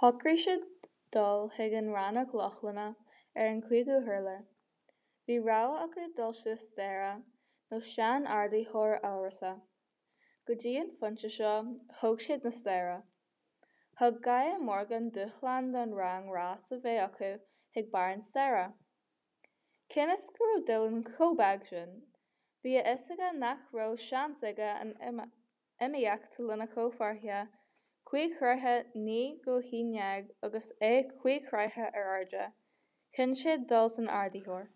Shocraigh siad dul chuig an rannóg Lochlannach ar an cúigiú hurlár. Bhí rogha acu dul suas staighre nó sean-ardaitheoir amhrasach. Go dtí an phointe seo, thóg siad na staighre. Thug Gaia Morgan dúshlán don rang rás a bheith acu chuig barr an staighre. Cionn is go raibh Dylan chomh beag sin, bhí a fhios aige nach raibh seans aige an iomaíocht lena chomhpháirtithe, 5 throithe 9 go 11 agus é 5 throithe ar airde, chinn sé dul san ardaitheoir.